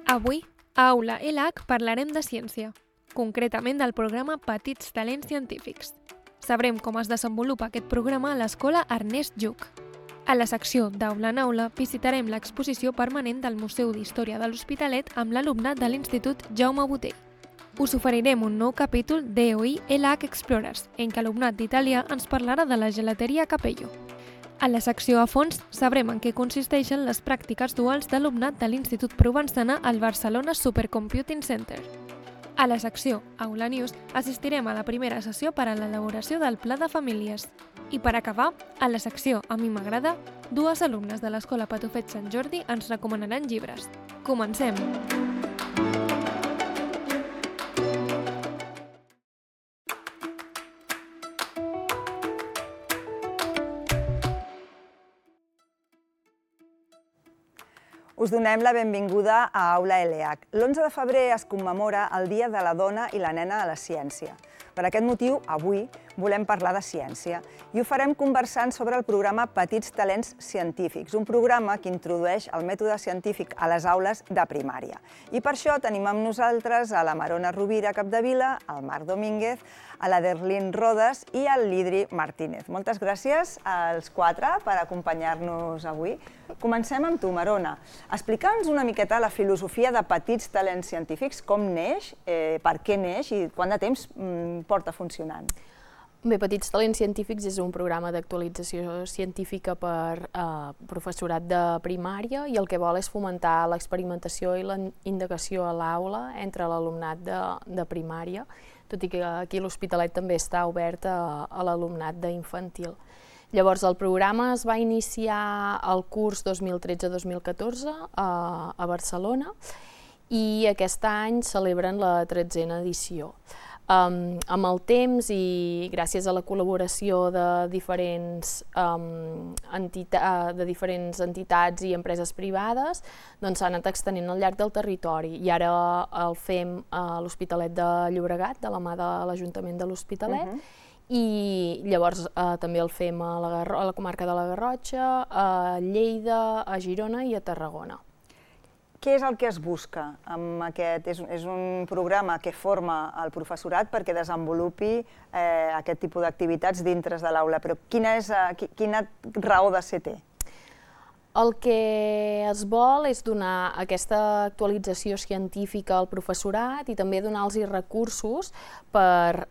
Avui, a Aula ELAC parlarem de ciència, concretament del programa Petits Talents Científics. Sabrem com es desenvolupa aquest programa a l'Escola Ernest Lluch. A la secció d'Aula en Aula visitarem l'exposició permanent del Museu d'Història de l'Hospitalet amb l'alumnat de l'Institut Jaume Botey. Us oferirem un nou capítol d'EOI ELAC Explorers, en què l'alumnat d'Itàlia ens parlarà de la gelateria Capello. A la secció a fons sabrem en què consisteixen les pràctiques duals d'alumnat de l'Institut Provençana al Barcelona Supercomputing Center. A la secció Aula News assistirem a la primera sessió per a l'elaboració del Pla de Famílies. I per acabar, a la secció A mi m'agrada, dues alumnes de l'Escola Patufet Sant Jordi ens recomanaran llibres. Comencem! Us donem la benvinguda a Aula ELAC. L'11 de febrer es commemora el Dia de la Dona i la Nena a la Ciència. Per aquest motiu, avui volem parlar de ciència i ho farem conversant sobre el programa Petits Talents Científics, un programa que introdueix el mètode científic a les aules de primària. I per això tenim amb nosaltres a la Marona Rovira Capdevila, al Marc Domínguez, a la Derlín Rodes i al Lidri Martínez. Moltes gràcies als quatre per acompanyar-nos avui. Comencem amb tu, Marona. Explica'ns una miqueta la filosofia de Petits Talents Científics, com neix, per què neix i quant de temps porta funcionant. Bé, Petits Talents Científics és un programa d'actualització científica per professorat de primària i el que vol és fomentar l'experimentació i la indagació a l'aula entre l'alumnat de primària, tot i que aquí l'Hospitalet també està obert a l'alumnat d'infantil. Llavors, el programa es va iniciar el curs 2013-2014 a Barcelona i aquest any celebren la 13a edició. Amb el temps i gràcies a la col·laboració de diferents entitats i empreses privades, s'ha anat extenent al llarg del territori i ara el fem a l'Hospitalet de Llobregat, de la mà de l'Ajuntament de l'Hospitalet, i llavors també el fem a la comarca de la Garrotxa, a Lleida, a Girona i a Tarragona. Què és el que es busca amb aquest? És un programa que forma el professorat perquè desenvolupi aquest tipus d'activitats dintre de l'aula, però quina raó de ser té? El que es vol és donar aquesta actualització científica al professorat i també donar-los recursos per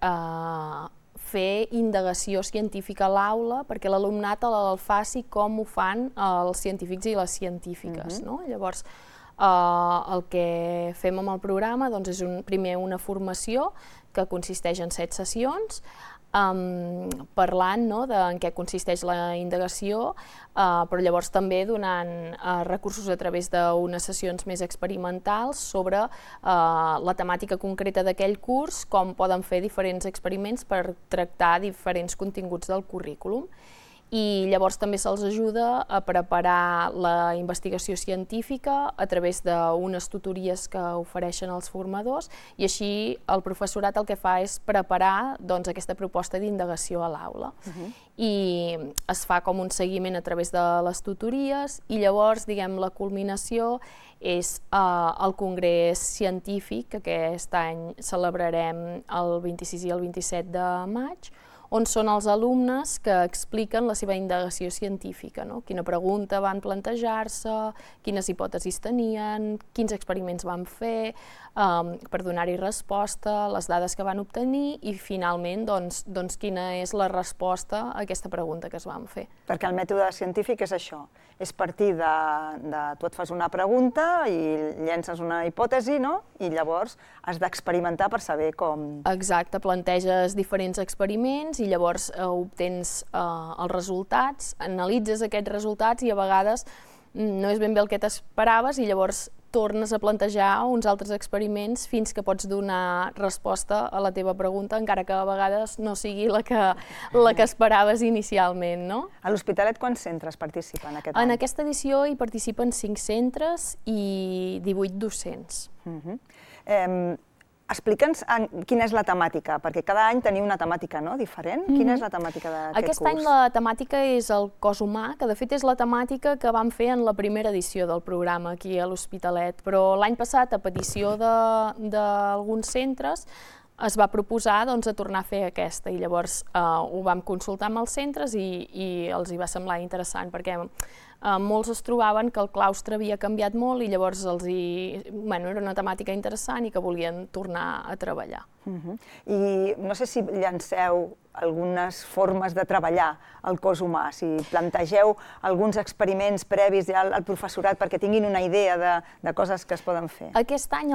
fer indagació científica a l'aula perquè l'alumnat el faci com ho fan els científics i les científiques. Llavors, el que fem amb el programa és primer una formació que consisteix en 7 sessions, parlant en què consisteix la indagació, però llavors també donant recursos a través d'unes sessions més experimentals sobre la temàtica concreta d'aquell curs, com poden fer diferents experiments per tractar diferents continguts del currículum. I llavors també se'ls ajuda a preparar la investigació científica a través d'unes tutories que ofereixen els formadors i així el professorat el que fa és preparar aquesta proposta d'indagació a l'aula. I es fa com un seguiment a través de les tutories i llavors, la culminació és el congrés científic que aquest any celebrarem el 26 i el 27 de maig, on són els alumnes que expliquen la seva indagació científica, quina pregunta van plantejar-se, quines hipòtesis tenien, quins experiments van fer, per donar-hi resposta, les dades que van obtenir i finalment quina és la resposta a aquesta pregunta que es van fer. Perquè el mètode científic és això, és partir de tu et fas una pregunta i llences una hipòtesi, i llavors has d'experimentar per saber com... Exacte, planteges diferents experiments i llavors obtens els resultats, analitzes aquests resultats i a vegades no és ben bé el que t'esperaves i llavors tornes a plantejar uns altres experiments fins que pots donar resposta a la teva pregunta, encara que a vegades no sigui la que esperaves inicialment. A l'Hospitalet quants centres participen aquest any? En aquesta edició hi participen 5 centres i 18 docents. Explica'ns quina és la temàtica, perquè cada any teniu una temàtica diferent. Quina és la temàtica d'aquest curs? Aquest any la temàtica és el cos humà, que de fet és la temàtica que vam fer en la primera edició del programa aquí a l'Hospitalet, però l'any passat, a petició d'alguns centres, es va proposar de tornar a fer aquesta, i llavors ho vam consultar amb els centres i els hi va semblar interessant, perquè molts es trobaven que el claustre havia canviat molt i llavors era una temàtica interessant i que volien tornar a treballar. I no sé si llanceu algunes formes de treballar el cos humà, si plantegeu alguns experiments previs ja al professorat perquè tinguin una idea de coses que es poden fer. Aquest any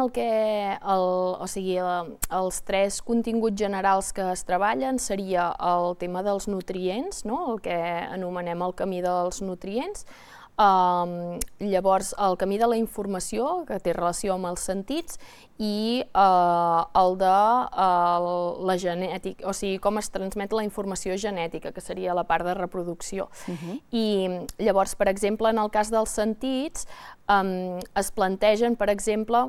els 3 continguts generals que es treballen seria el tema dels nutrients, el que anomenem el camí dels nutrients, llavors el camí de la informació, que té relació amb els sentits, i el de la genètica, o sigui, com es transmet la informació genètica, que seria la part de reproducció. I llavors, per exemple, en el cas dels sentits, es plantegen, per exemple,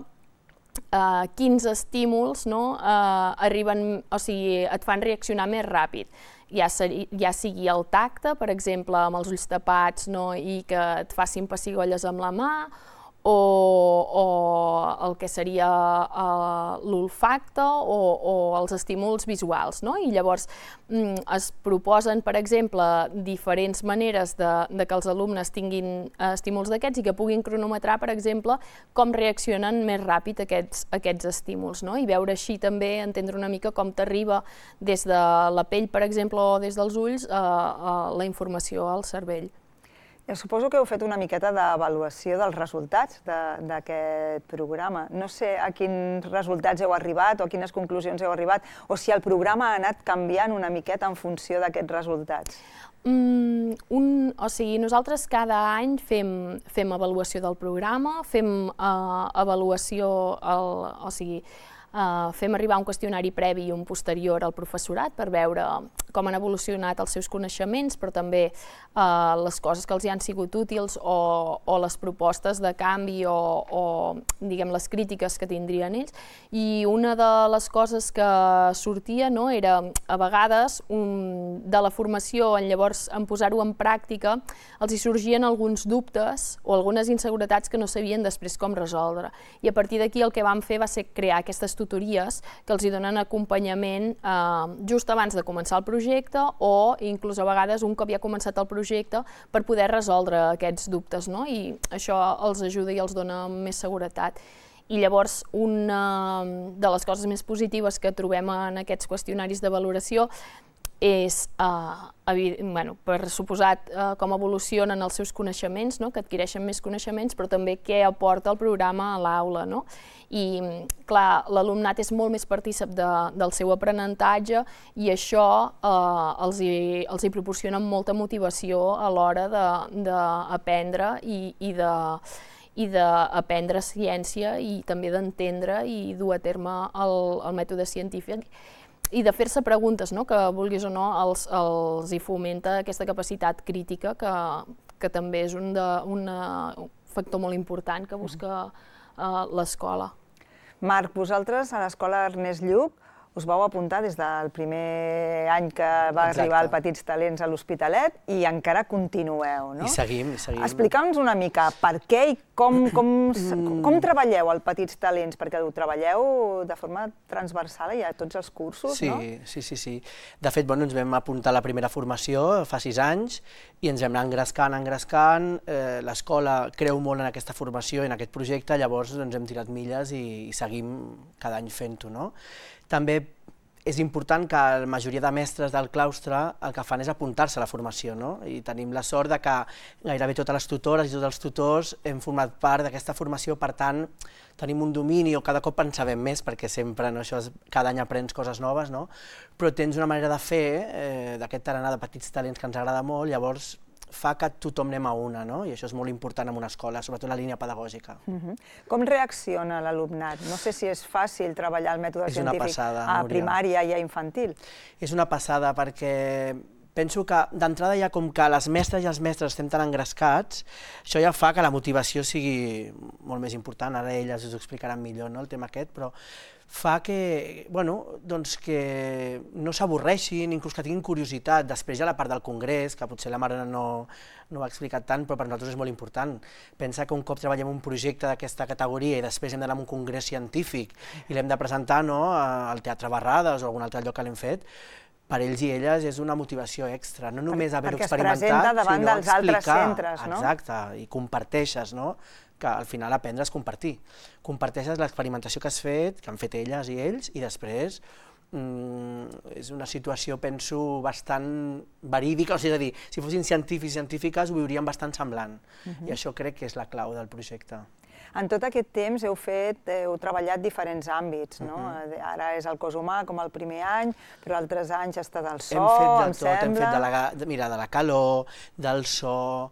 quins estímuls arriben, o sigui, et fan reaccionar més ràpid. Ja sigui el tacte, per exemple, amb els ulls tapats i que et facin pessigolles amb la mà, o el que seria l'olfacte o els estímuls visuals. I llavors es proposen, per exemple, diferents maneres de que els alumnes tinguin estímuls d'aquests i que puguin cronometrar, per exemple, com reaccionen més ràpid aquests estímuls, i veure així també, entendre una mica com t'arriba des de la pell, per exemple, o des dels ulls, la informació al cervell. Suposo que heu fet una miqueta d'avaluació dels resultats d'aquest programa. No sé a quins resultats heu arribat o a quines conclusions heu arribat, o si el programa ha anat canviant una miqueta en funció d'aquests resultats. O sigui, nosaltres cada any fem avaluació del programa, fem avaluació, o sigui, fem arribar un qüestionari previ i un posterior al professorat per veure com han evolucionat els seus coneixements, però també les coses que els hi han sigut útils o les propostes de canvi o diguem, les crítiques que tindrien ells. I una de les coses que sortia era, a vegades, de la formació, llavors en posar-ho en pràctica, els hi sorgien alguns dubtes o algunes inseguretats que no sabien després com resoldre. I a partir d'aquí el que vam fer va ser crear aquestes tutories que els hi donen acompanyament just abans de començar el projecte o inclús a vegades un cop ja ha començat el projecte per poder resoldre aquests dubtes, i això els ajuda i els dona més seguretat. I llavors una de les coses més positives que trobem en aquests qüestionaris de valoració és, per suposat, com evolucionen els seus coneixements, que adquireixen més coneixements, però també què aporta el programa a l'aula. I, clar, l'alumnat és molt més partícip del seu aprenentatge i això els hi proporciona molta motivació a l'hora d'aprendre i d'aprendre ciència i també d'entendre i dur a terme el mètode científic i de fer-se preguntes, que vulguis o no els hi fomenta aquesta capacitat crítica que també és un factor molt important que busca l'escola. Marc, vosaltres a l'escola Ernest Lluch us vau apuntar des del primer any que va arribar el Petits Talents a l'Hospitalet i encara continueu, no? I seguim. Explica'ns una mica per què i com treballeu el Petits Talents, perquè ho treballeu de forma transversal i a tots els cursos, no? Sí. De fet, ens vam apuntar a la primera formació fa 6 anys i ens vam anar engrescant. L'escola creu molt en aquesta formació i en aquest projecte, llavors ens hem tirat milles i seguim cada any fent-ho, no? També és important que la majoria de mestres del claustre el que fan és apuntar-se a la formació, i tenim la sort que gairebé totes les tutores i tots els tutors hem format part d'aquesta formació, per tant tenim un domini o cada cop en sabem més, perquè sempre cada any aprens coses noves, però tens una manera de fer d'aquest tarannà de petits talents que ens agrada molt, llavors fa que tothom anem a una, i això és molt important en una escola, sobretot en la línia pedagògica. Com reacciona l'alumnat? No sé si és fàcil treballar el mètode científic a primària i a infantil. És una passada perquè penso que d'entrada ja com que les mestres i els mestres estem tan engrescats, això ja fa que la motivació sigui molt més important, ara elles us ho explicaran millor el tema aquest, però fa que no s'avorreixin, inclús que tinguin curiositat. Després hi ha la part del congrés, que potser la Mariona no ho ha explicat tant, però per nosaltres és molt important. Pensa que un cop treballem un projecte d'aquesta categoria i després hem d'anar a un congrés científic i l'hem de presentar al Teatre Barrades o a algun altre lloc que l'hem fet, per ells i elles és una motivació extra, no només haver-ho experimentat, sinó explicar. Perquè es presenta davant dels altres centres, no? Exacte, i comparteixes, no? Que al final aprendre és compartir. Comparteixes l'experimentació que has fet, que han fet elles i ells, i després és una situació, penso, bastant verídica, és a dir, si fossin científics i científiques ho viurien bastant semblant, i això crec que és la clau del projecte. En tot aquest temps heu treballat diferents àmbits, no? Ara és el cos humà, com el primer any, però altres anys ha estat el so, em sembla. Hem fet de la calor, del so,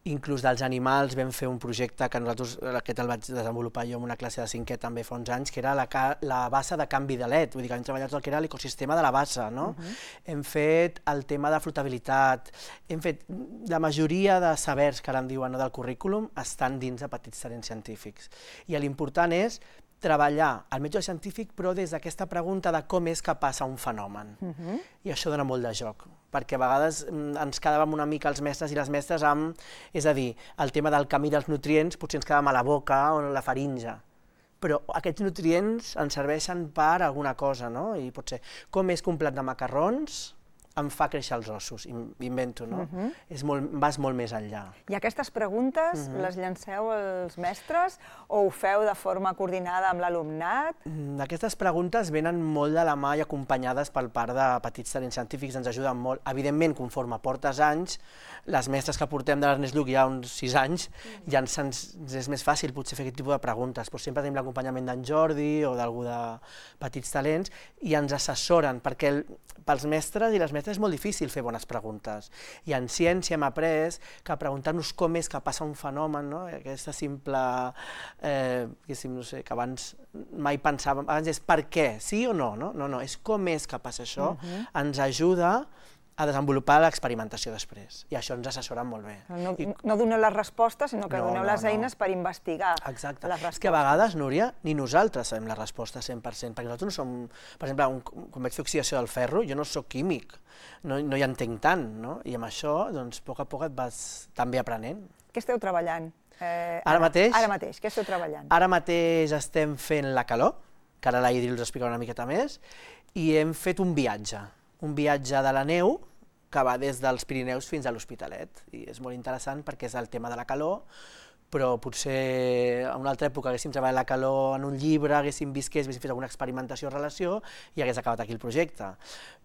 inclús dels animals. Vam fer un projecte que nosaltres, aquest el vaig desenvolupar jo en una classe de 5è també fa uns anys, que era la bassa de canvi de led, vull dir que hem treballat el que era l'ecosistema de la bassa, no? Hem fet el tema de flotabilitat, hem fet la majoria de sabers que ara en diuen del currículum estan dins de Petits Talents Científics. I l'important és treballar el mètode científic, però des d'aquesta pregunta de com és que passa un fenomen. I això dona molt de joc, perquè a vegades ens quedàvem una mica els mestres i les mestres amb, és a dir, el tema del camí dels nutrients potser ens quedàvem a la boca o a la faringe, però aquests nutrients ens serveixen per alguna cosa, no? I potser com és que un plat de macarrons em fa créixer els ossos, invento, no? Vas molt més enllà. I aquestes preguntes les llanceu als mestres o ho feu de forma coordinada amb l'alumnat? Aquestes preguntes venen molt de la mà i acompanyades per part de Petits Talents Científics, ens ajuden molt. Evidentment, conforme portes anys, les mestres que portem de l'Ernest Lluch ja uns 6 anys, ja ens és més fàcil potser fer aquest tipus de preguntes, però sempre tenim l'acompanyament d'en Jordi o d'algú de Petits Talents i ens assessoren, perquè pels mestres i les mestres és molt difícil fer bones preguntes. I en ciència hem après que preguntar-nos com és que passa un fenomen, aquesta simple, no sé, que abans mai pensàvem, abans és per què, sí o no? No, és com és que passa això, ens ajuda a desenvolupar l'experimentació després, i això ens assessoren molt bé. No doneu les respostes, sinó que doneu les eines per investigar les respostes. Exacte. És que a vegades, Núria, ni nosaltres sabem la resposta 100%, perquè nosaltres no som, per exemple, quan vaig fer oxidació del ferro, jo no soc químic, no hi entenc tant, i amb això, doncs, a poc et vas també aprenent. Què esteu treballant? Ara mateix? Ara mateix, què esteu treballant? Ara mateix estem fent la calor, que ara la Idri us explicarà una miqueta més, i hem fet un viatge de la neu que va des dels Pirineus fins a l'Hospitalet, i és molt interessant perquè és el tema de la calor, però potser en una altra època haguéssim treballat la calor en un llibre, haguéssim vist que haguéssim fet alguna experimentació o relació i hagués acabat aquí el projecte.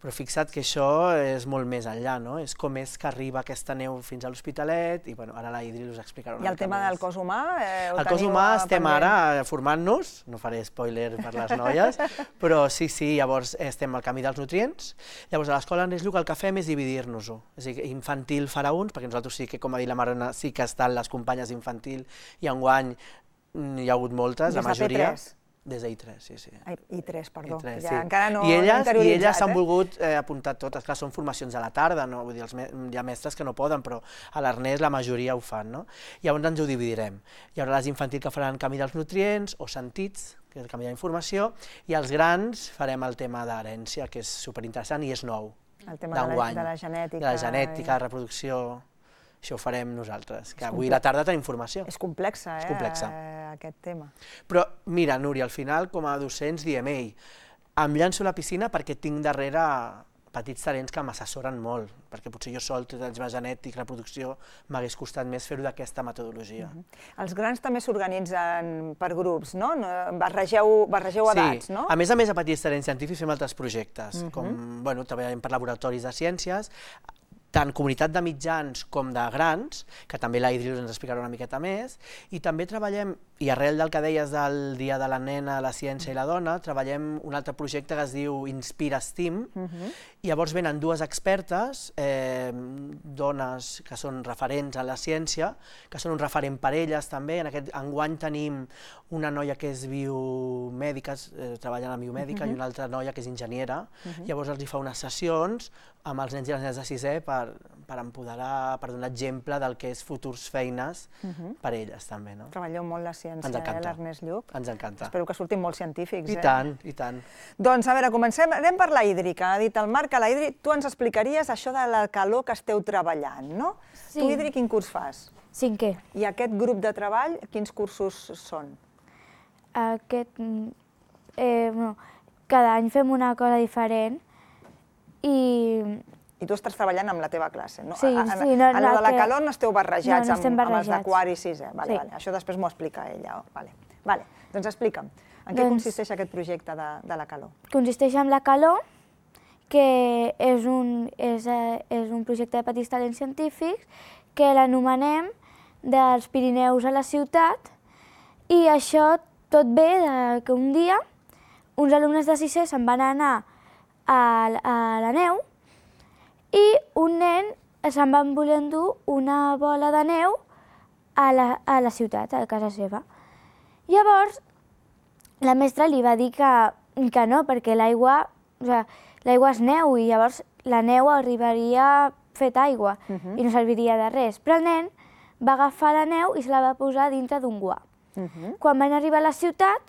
Però fixa't que això és molt més enllà, no? És com és que arriba aquesta neu fins a l'Hospitalet i ara la Idri us explicarà una mica més. I el tema del cos humà? El cos humà estem ara formant-nos, no faré spoiler per les noies, però sí, llavors estem al camí dels nutrients. Llavors a l'escola Ernest Lluch el que fem és dividir-nos-ho. És a dir, infantil farà uns, perquè nosaltres sí que, com ha dit la Mariona, sí que estan les companyes d'infantil i enguany hi ha hagut moltes, la majoria. Des de I3, sí. I3, perdó. Encara no interioritzat. I elles s'han volgut apuntar totes. Clar, són formacions a la tarda, vull dir, hi ha mestres que no poden, però a l'Ernest la majoria ho fan, no? Llavors ens ho dividirem. Hi haurà les infantils que faran camí dels nutrients o sentits, que és el camí de la informació, i els grans farem el tema d'herència, que és superinteressant i és nou. El tema de la genètica. De la genètica, de reproducció. Això ho farem nosaltres, que avui a la tarda tenim formació. És complexa, aquest tema. Però mira, Núria, al final, com a docents, diem, em llanço a la piscina perquè tinc darrere petits talents que m'assessoren molt, perquè potser jo sol, tot el tema genètic, reproducció, m'hagués costat més fer-ho d'aquesta metodologia. Els grans també s'organitzen per grups, no? Barregeu edats, no? Sí, a més a Petits Talents Científics fem altres projectes, com, treballem per laboratoris de ciències, tant comunitat de mitjans com de grans, que també la Idri ens explicarà una miqueta més, i també treballem, i arrel del que deies del Dia de la Nena, la Ciència i la Dona, treballem un altre projecte que es diu Inspira STEAM, i llavors venen dues expertes, dones que són referents a la ciència, que són un referent per elles també. Enguany tenim una noia que és biomèdica, treballant en biomèdica, i una altra noia que és enginyera. Llavors els hi fa unes sessions amb els nens i les nenes de 6è per empoderar, per donar exemple del que és futurs feines per elles també. Treballeu molt la ciència, l'Ernest Lluch. Ens encanta. Espero que surtin molts científics. I tant, i tant. Doncs a veure, comencem. Anem per la hídrica. Ha dit el Marc que la hídrica... Tu ens explicaries això de la calor que esteu treballant, no? Sí. Tu, Hídric, quin curs fas? 5è. I aquest grup de treball, quins cursos són? Cada any fem una cosa diferent I tu estàs treballant amb la teva classe, no? Sí, sí. En la de la calor no esteu barrejats no estem amb els de barrejats. quart i sisè. Sí. Això després m'ho explica ella. Doncs explica'm, en què consisteix aquest projecte de la calor? Consisteix en la calor, que és un projecte de petits talents científics que l'anomenem dels Pirineus a la ciutat, i això tot ve que un dia uns alumnes de sisè se'n van anar a la neu i un nen se'n van voler endur una bola de neu a la ciutat, a casa seva. Llavors, la mestra li va dir que no, perquè l'aigua és neu i llavors la neu arribaria fet aigua i no serviria de res. Però el nen va agafar la neu i se la va posar dintre d'un guà. Quan van arribar a la ciutat,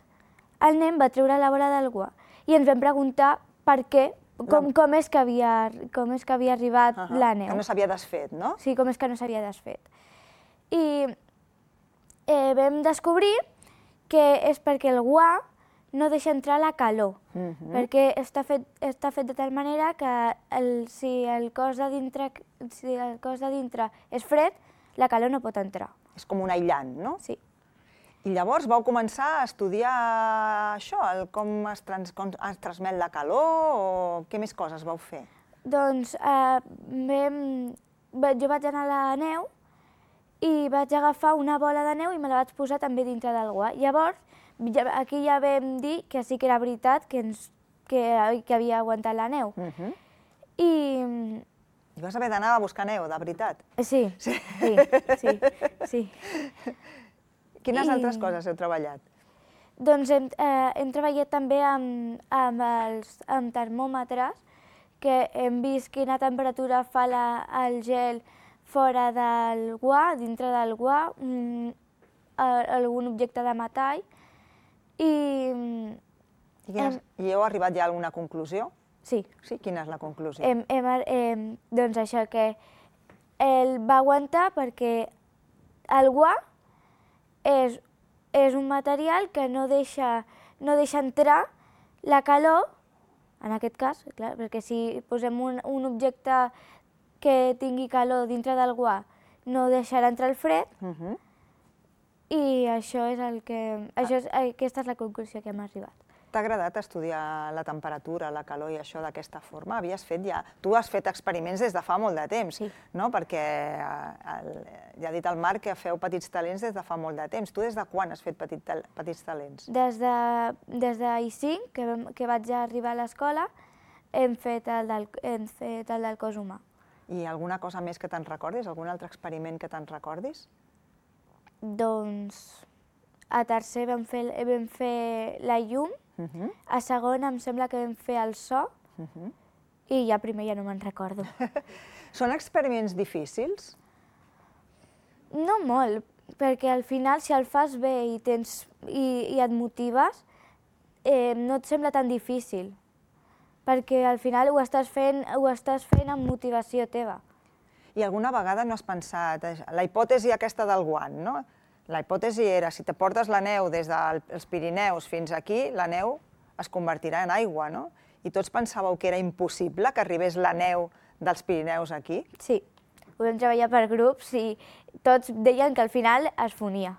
el nen va treure la bola del guà i ens vam preguntar per què, com és que havia arribat la neu. Que no s'havia desfet, no? Sí, com és que no s'havia desfet. I vam descobrir que és perquè el guà no deixa entrar la calor, perquè està fet de tal manera que si el cos de dintre és fred, la calor no pot entrar. És com un aïllant, no? Sí. I llavors vau començar a estudiar això, com es transmet la calor, o què més coses vau fer? Doncs jo vaig anar a la neu i vaig agafar una bola de neu i me la vaig posar també dintre del guà. Llavors, aquí ja vam dir que sí que era veritat que havia aguantat la neu. I vas haver d'anar a buscar neu, de veritat? Sí. Quines altres coses heu treballat? Doncs hem treballat també amb termòmetres, que hem vist quina temperatura fa el gel fora del guà, dintre del guà, algun objecte de metall. I heu arribat ja a alguna conclusió? Sí. Sí? Quina és la conclusió? Doncs això, que el va aguantar perquè el guà és un material que no deixa entrar la calor, en aquest cas, clar, perquè si posem un objecte que tingui calor dintre del guà, no deixarà entrar el fred, i aquesta és la conclusió que hem arribat. T'ha agradat estudiar la temperatura, la calor i això d'aquesta forma? Tu has fet experiments des de fa molt de temps, no? Perquè ja ha dit el Marc que feu petits talents des de fa molt de temps. Tu des de quan has fet petits talents? Des de I5, que vaig arribar a l'escola, hem fet el del cos humà. I alguna cosa més que te'n recordis? Algun altre experiment que te'n recordis? Doncs a tercer vam fer la llum, a segon em sembla que vam fer el so, i ja primer ja no me'n recordo. Són experiments difícils? No molt, perquè al final si el fas bé i et motives, no et sembla tan difícil, perquè al final ho estàs fent amb motivació teva. I alguna vegada no has pensat, la hipòtesi aquesta del guant, no? La hipòtesi era, si te portes la neu des dels Pirineus fins aquí, la neu es convertirà en aigua, no? I tots pensàveu que era impossible que arribés la neu dels Pirineus aquí? Sí, ho vam treballar per grups i tots deien que al final es fonia.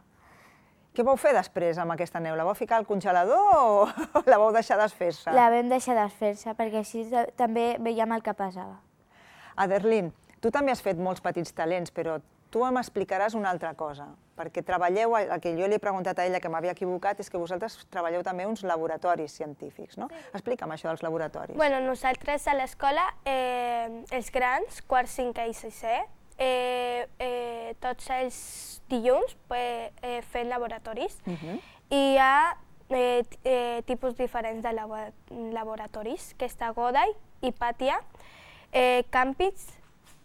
Què vau fer després amb aquesta neu? La vau ficar al congelador o la vau deixar desfer-se? La vam deixar desfer-se, perquè així també veiem el que passava. Aderlyn, tu també has fet molts petits talents, però tu m'explicaràs una altra cosa, perquè treballeu, el que jo li he preguntat a ella que m'havia equivocat, és que vosaltres treballeu també uns laboratoris científics, no? Explica'm això dels laboratoris. Bueno, nosaltres a l'escola, els grans, quart, cinquè i sisè, tots els dilluns fem laboratoris i hi ha tipus diferents de laboratoris, que està Goday, Hipàtia, Campits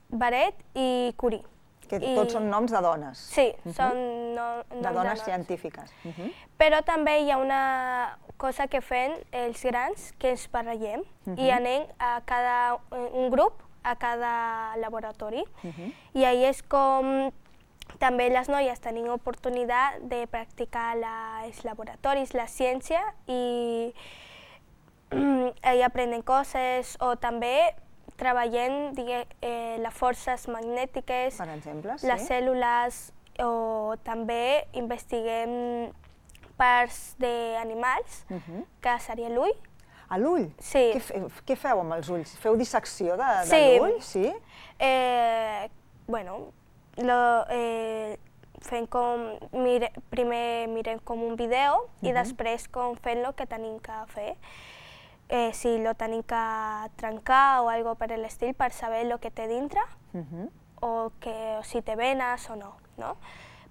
Baret i Curie. Que tots són noms de dones. Sí, són noms de dones científiques. Però també hi ha una cosa que fem els grans, que ens barregem i anem a un grup a cada laboratori. I ahí és com també les noies tenim oportunitat de practicar els laboratoris, la ciència, i ahí aprenen coses, o també treballem les forces magnètiques, Per exemple, les cèl·lules, o també investiguem parts d'animals, que seria l'ull. A l'ull? Sí. Què feu amb els ulls? Feu dissecció de l'ull? Sí. Bueno, fem com, primer mirem com un vídeo i després com fem el que tenim que fer. Si lo tenim que trencar o algo per l'estil per saber el que té dintre o si té venes o no.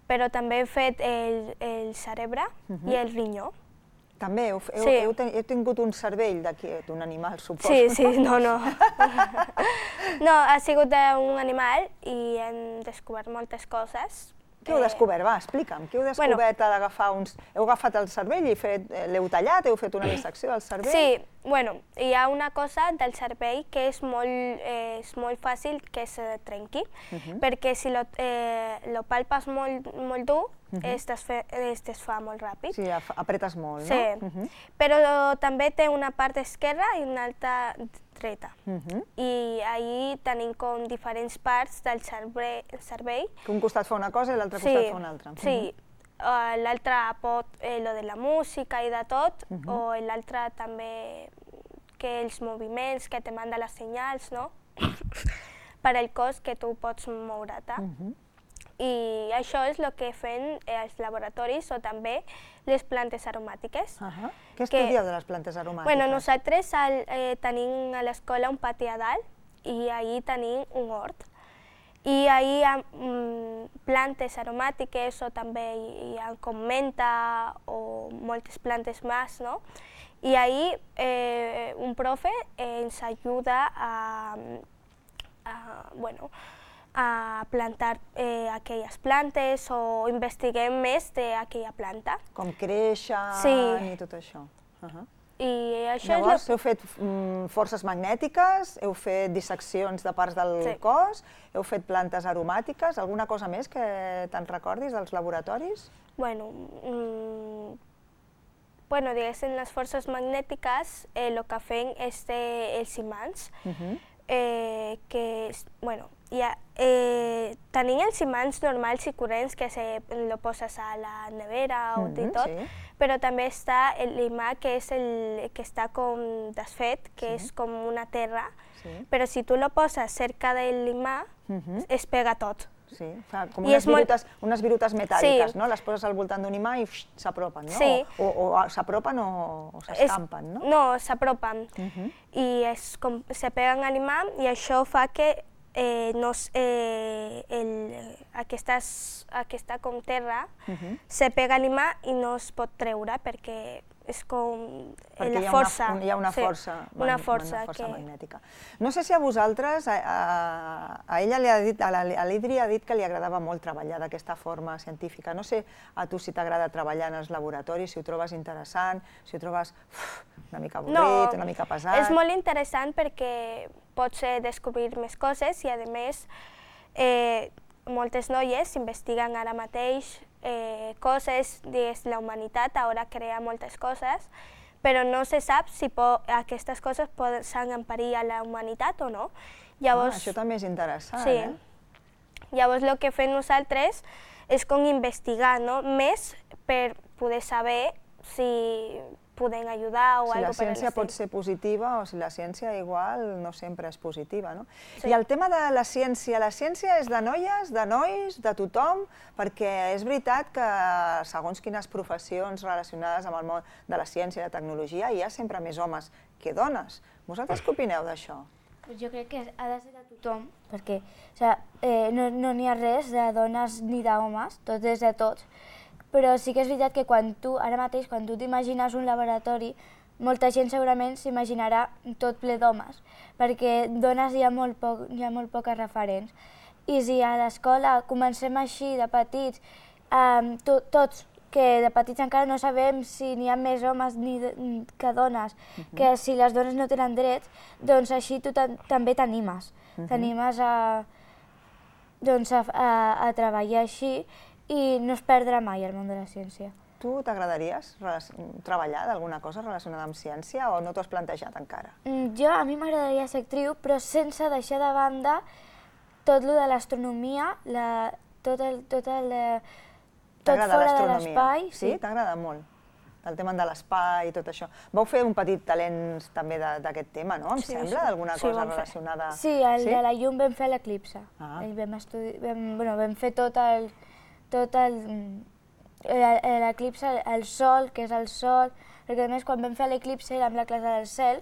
Però també hem fet el cerebre i el rinyó. També? Heu tingut un cervell d'un animal, suposo? Sí, no. No, ha sigut d'un animal i hem descobert moltes coses. Què heu descobert? Va, explica'm. Què heu descobert a l'agafar uns... Heu agafat el cervell i l'heu tallat? Heu fet una dissecció del cervell? Sí, bueno, hi ha una cosa del cervell que és molt fàcil que se trenqui, perquè si lo palpes molt dur, es desfà molt ràpid. Sí, apretes molt, no? Sí, però també té una part esquerra i una altra dreta. I ahí tenim com diferents parts del cervell. Que un costat fa una cosa i l'altre costat fa una altra. Sí, l'altre pot lo de la música i de tot, o l'altre també que els moviments, que te manda les senyals, no? Per al cos que tu pots moure-te. I això és el que fem als laboratoris o també les plantes aromàtiques. Què estudieu de les plantes aromàtiques? Bueno, nosaltres tenim a l'escola un pati a dalt i ahí tenim un hort. I ahí hi ha plantes aromàtiques o també hi ha com menta o moltes plantes més, no? I ahí un profe ens ajuda a plantar aquelles plantes o investiguem més d'aquella planta. Com creixen i tot això. I això llavors, heu fet forces magnètiques, heu fet disseccions de parts del cos, heu fet plantes aromàtiques, alguna cosa més que te'n recordis dels laboratoris? Bueno, diguéssim, les forces magnètiques el que fem és els imants, que, bueno, tenim els imants normals i corrents que lo poses a la nevera o tot, però també està l'imà que és el que està com desfet, que és com una terra, però si tu lo poses cerca de l'imà, es pega tot. Sí, fa com unes virutes metàl·liques, no? Les poses al voltant d'un imà i s'apropen, no? O s'apropen o s'escampen, no? No, s'apropen i se peguen a l'imà i això fa que aquesta com terra se pega a l'imà i no es pot treure perquè és com la força. Hi ha una força magnètica. No sé si a vosaltres, a ella a l'Idri ha dit que li agradava molt treballar d'aquesta forma científica. No sé a tu si t'agrada treballar en els laboratoris, si ho trobes interessant, si ho trobes una mica avorrit, una mica pesat. És molt interessant perquè pots descobrir més coses i, a més, moltes noies investiguen ara mateix coses, la humanitat ara crea moltes coses, però no se sap si aquestes coses poden en perill a la humanitat o no. Això també és interessant, eh? Llavors, el que fem nosaltres és com investigar més per poder saber si podem ajudar o alguna cosa per l'estil. Si la ciència pot ser positiva o si la ciència igual no sempre és positiva, no? I el tema de la ciència és de noies, de nois, de tothom, perquè és veritat que segons quines professions relacionades amb el món de la ciència i la tecnologia hi ha sempre més homes que dones. Vosaltres què opineu d'això? Jo crec que ha de ser de tothom, perquè no n'hi ha res de dones ni d'homes, tot és de tots. Però sí que és veritat que ara mateix, quan tu t'imagines un laboratori, molta gent segurament s'imaginarà tot ple d'homes, perquè dones hi ha molt poques referents. I si a l'escola comencem així de petits, tots, que de petits encara no sabem si n'hi ha més homes que dones, que si les dones no tenen drets, doncs així tu també t'animes. T'animes a treballar així i no es perdrà mai el món de la ciència. Tu t'agradaries treballar d'alguna cosa relacionada amb ciència o no t'ho has plantejat encara? A mi m'agradaria ser actriu, però sense deixar de banda tot lo de l'astronomia, tot fora de l'espai. Sí? T'agrada molt? El tema de l'espai i tot això. Vau fer un petit talent també d'aquest tema, no? Em sembla, d'alguna cosa relacionada... Sí, el de la llum vam fer l'eclipse. Vam fer tot l'eclipse, el sol, que és el sol, perquè a més quan vam fer l'eclipse era amb la classe del cel,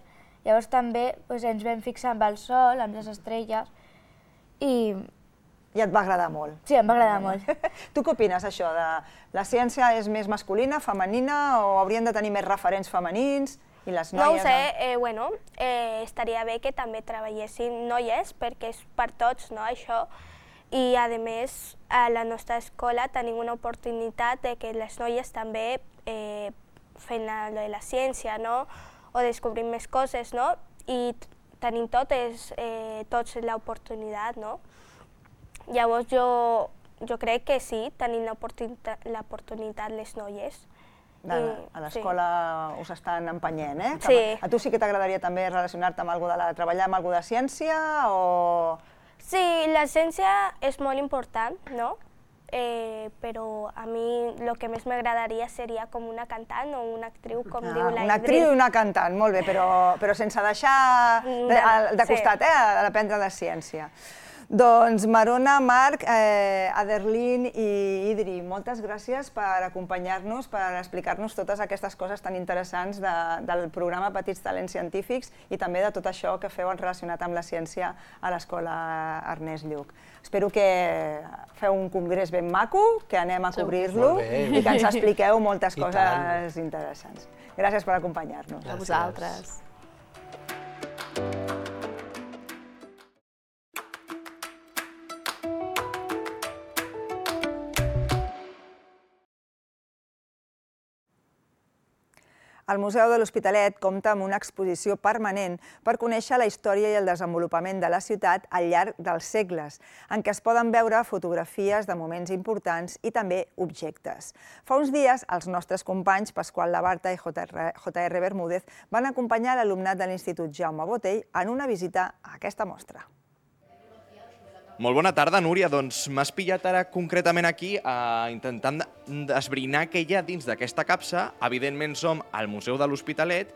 llavors també ens vam fixar amb el sol, amb les estrelles, i et va agradar molt. Sí, em va agradar molt. Tu què opines, això? La ciència és més masculina, femenina, o haurien de tenir més referents femenins? I les noies... No ho sé, estaria bé que també treballessin noies, perquè és per tots, no, això. I, a més, a la nostra escola tenim una oportunitat de que les noies també fent la ciència, no? O descobrim més coses, no? I tenim tots l'oportunitat, no? Llavors jo crec que sí, tenim l'oportunitat les noies. A l'escola us estan empenyent, eh? Sí. A tu sí que t'agradaria també relacionar-te amb treballar amb alguna de ciència o...? Sí, la ciència és molt important, no? Però a mi el que més m'agradaria seria com una cantant o una actriu, com diu la Idris. Una actriu i una cantant, molt bé, però sense deixar de costat d'aprendre de ciència. Doncs Marona, Marc, Aderlin i Idri, moltes gràcies per acompanyar-nos, per explicar-nos totes aquestes coses tan interessants del programa Petits Talents Científics i també de tot això que feu relacionat amb la ciència a l'Escola Ernest Lluch. Espero que feu un congrés ben maco, que anem a cobrir-lo i que ens expliqueu moltes coses interessants. Gràcies per acompanyar-nos. A vosaltres. El Museu de l'Hospitalet compta amb una exposició permanent per conèixer la història i el desenvolupament de la ciutat al llarg dels segles, en què es poden veure fotografies de moments importants i també objectes. Fa uns dies, els nostres companys Pasqual Labarta i J.R. Bermúdez van acompanyar l'alumnat de l'Institut Jaume Botey en una visita a aquesta mostra. Molt bona tarda, Núria. Doncs m'has pillat ara concretament aquí intentant esbrinar què hi ha dins d'aquesta capsa. Evidentment som al Museu de l'Hospitalet.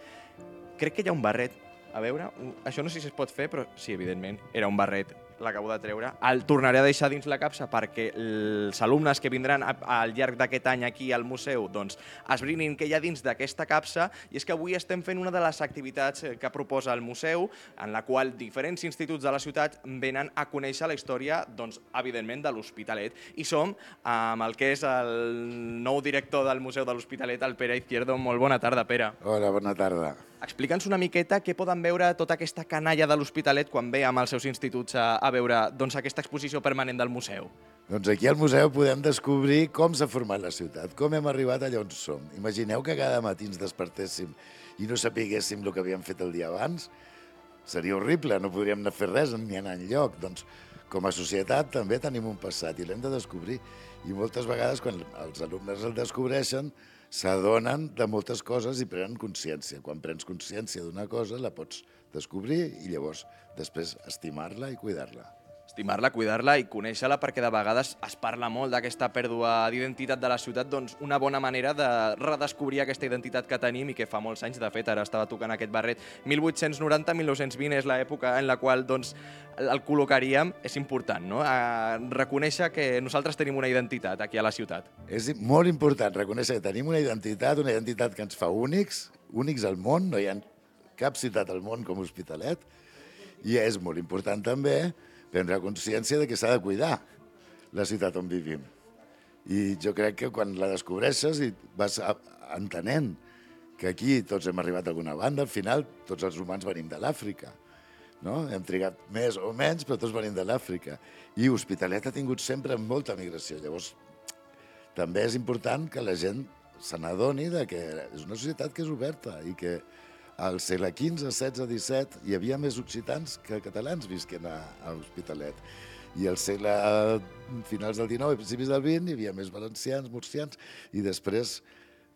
Crec que hi ha un barret. A veure, això no sé si es pot fer, però sí, evidentment, era un barret. L'acabo de treure. El tornaré a deixar dins la capsa perquè els alumnes que vindran al llarg d'aquest any aquí al museu esbrinin què hi ha dins d'aquesta capsa, i és que avui estem fent una de les activitats que proposa el museu, en la qual diferents instituts de la ciutat venen a conèixer la història, evidentment, de l'Hospitalet. I som amb el que és el nou director del Museu de l'Hospitalet, el Pere Izquierdo. Molt bona tarda, Pere. Hola, bona tarda. Explica'ns una miqueta què poden veure tota aquesta canalla de l'Hospitalet quan ve amb els seus instituts a veure aquesta exposició permanent del museu. Doncs aquí al museu podem descobrir com s'ha format la ciutat, com hem arribat allà on som. Imagineu que cada matí ens despertéssim i no sapiguéssim el que havíem fet el dia abans. Seria horrible, no podríem anar a fer res ni anar enlloc. Doncs com a societat també tenim un passat i l'hem de descobrir. I moltes vegades quan els alumnes el descobreixen s'adonen de moltes coses i prenen consciència. Quan prens consciència d'una cosa la pots descobrir i llavors després estimar-la i cuidar-la. Estimar-la, cuidar-la i conèixer-la, perquè de vegades es parla molt d'aquesta pèrdua d'identitat de la ciutat. Doncs una bona manera de redescobrir aquesta identitat que tenim i que fa molts anys, de fet, ara estava tocant aquest barret. 1890-1920 és l'època en la qual el col·locaríem. És important, no?, reconèixer que nosaltres tenim una identitat aquí a la ciutat. És molt important reconèixer que tenim una identitat que ens fa únics al món. No hi ha cap ciutat al món com Hospitalet. I és molt important també prendre consciència de que s'ha de cuidar la ciutat on vivim. I jo crec que quan la descobreixes i vas entenent que aquí tots hem arribat a alguna banda, al final tots els humans venim de l'Àfrica. No? Hem trigat més o menys, però tots venim de l'Àfrica. I Hospitalet ha tingut sempre molta migració. Llavors, també és important que la gent se n'adoni que és una societat que és oberta i que al segle XV, XVI, XVII hi havia més occitans que catalans visquent a Hospitalet. I al segle finals del XIX i principis del XX hi havia més valencians, murcians, i després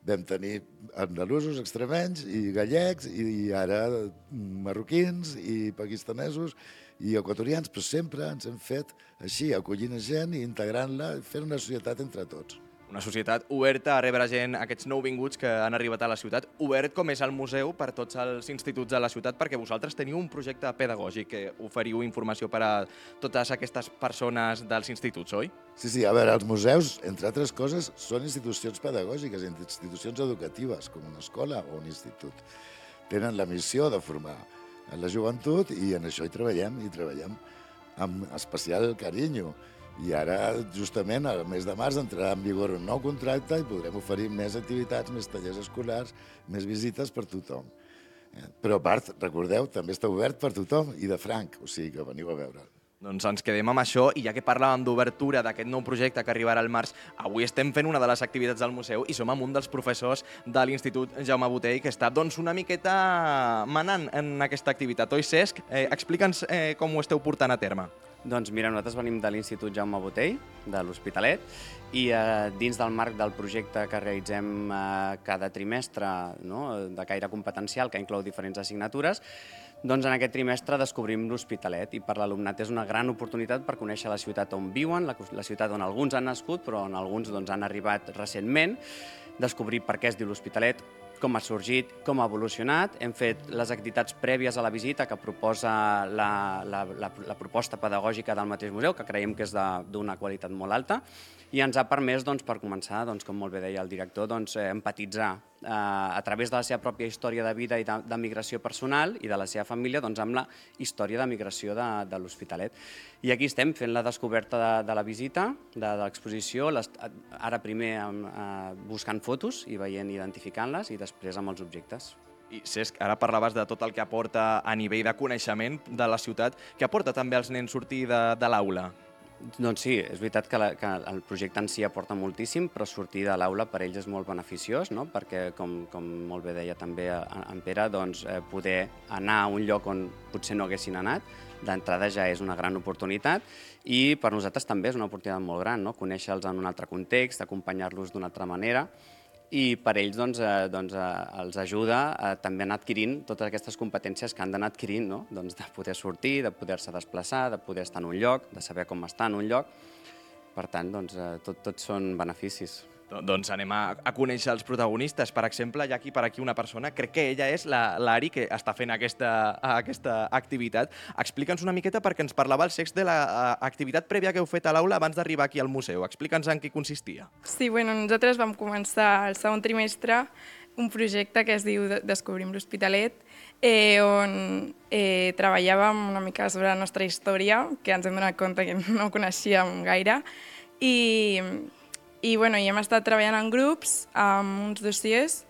vam tenir andalusos, extremenys i gallecs i ara marroquins i pakistanesos i equatorians, però sempre ens hem fet així, acollint gent i integrant-la, fent una societat entre tots. Una societat oberta a rebre gent, aquests nouvinguts que han arribat a la ciutat, obert com és el museu per tots els instituts de la ciutat, perquè vosaltres teniu un projecte pedagògic que oferiu informació per a totes aquestes persones dels instituts, oi? Sí, a veure, els museus, entre altres coses, són institucions pedagògiques, institucions educatives, com una escola o un institut. Tenen la missió de formar la joventut i en això hi treballem amb especial carinyo. I ara, justament, al mes de març entrarà en vigor un nou contracte i podrem oferir més activitats, més tallers escolars, més visites per tothom. Però a part, recordeu, també està obert per tothom i de franc, o sigui que veniu a veure'l. Doncs ens quedem amb això i ja que parlàvem d'obertura d'aquest nou projecte que arribarà al març, avui estem fent una de les activitats del museu i som amb un dels professors de l'Institut Jaume Botey que està una miqueta manant en aquesta activitat. Oi, Cesc? Explica'ns com ho esteu portant a terme. Doncs mira, nosaltres venim de l'Institut Jaume Botey, de l'Hospitalet, i dins del marc del projecte que realitzem cada trimestre, de caire competencial, que inclou diferents assignatures, doncs en aquest trimestre descobrim l'Hospitalet i per l'alumnat és una gran oportunitat per conèixer la ciutat on viuen, la ciutat on alguns han nascut però on alguns han arribat recentment, descobrir per què es diu l'Hospitalet, com ha sorgit, com ha evolucionat. Hem fet les activitats prèvies a la visita que proposa la proposta pedagògica del mateix museu, que creiem que és d'una qualitat molt alta, i ens ha permès, per començar, com molt bé deia el director, empatitzar a través de la seva pròpia història de vida i de migració personal i de la seva família amb la història de migració de l'Hospitalet. I aquí estem fent la descoberta de la visita, de l'exposició, ara primer buscant fotos i veient i identificant-les i després amb els objectes. I Cesc, ara parlaves de tot el que aporta a nivell de coneixement de la ciutat, que aporta també als nens sortir de l'aula. Doncs sí, és veritat que el projecte en si aporta moltíssim, però sortir de l'aula per ells és molt beneficiós, perquè, com molt bé deia també en Pere, poder anar a un lloc on potser no haguessin anat, d'entrada ja és una gran oportunitat i per nosaltres també és una oportunitat molt gran, conèixer-los en un altre context, acompanyar-los d'una altra manera, i per ells els ajuda també a anar adquirint totes aquestes competències que han d'anar adquirint, de poder sortir, de poder-se desplaçar, de poder estar en un lloc, de saber com estar en un lloc. Per tant, tots són beneficis. Doncs anem a conèixer els protagonistes. Per exemple, hi ha per aquí una persona, crec que ella és l'Ari, que està fent aquesta activitat. Explica'ns una miqueta perquè ens parlava el Cesc de l'activitat prèvia que heu fet a l'aula abans d'arribar aquí al museu. Explica'ns en què consistia. Sí, nosaltres vam començar el segon trimestre un projecte que es diu Descobrim l'Hospitalet, on treballàvem una mica sobre la nostra història, que ens hem donat compte que no coneixíem gaire, i hem estat treballant en grups amb uns dossiers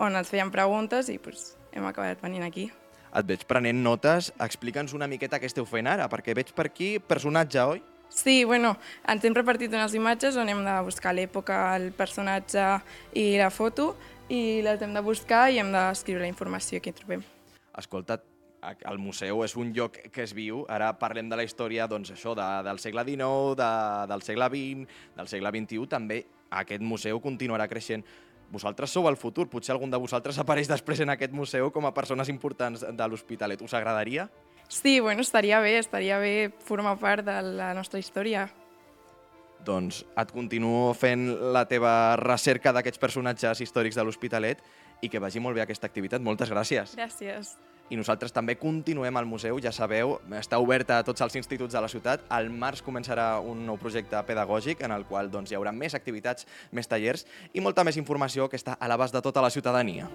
on ens feien preguntes i hem acabat venint aquí. Et veig prenent notes. Explica'ns una miqueta què esteu fent ara, perquè veig per aquí personatge, oi? Sí, ens hem repartit unes imatges on hem de buscar l'època, el personatge i la foto, i les hem de buscar i hem d'escriure la informació que hi trobem. Escolta, el museu és un lloc que es viu. Ara parlem de la història del segle XIX, del segle XX, del segle XXI. També aquest museu continuarà creixent. Vosaltres sou el futur. Potser algun de vosaltres apareix després en aquest museu com a persones importants de l'Hospitalet. Us agradaria? Sí, estaria bé formar part de la nostra història. Doncs et continuo fent la teva recerca d'aquests personatges històrics de l'Hospitalet i que vagi molt bé aquesta activitat. Moltes gràcies. Gràcies. I nosaltres també continuem al museu, ja sabeu, està oberta a tots els instituts de la ciutat. Al març començarà un nou projecte pedagògic en el qual hi haurà més activitats, més tallers i molta més informació que està a l'abast de tota la ciutadania.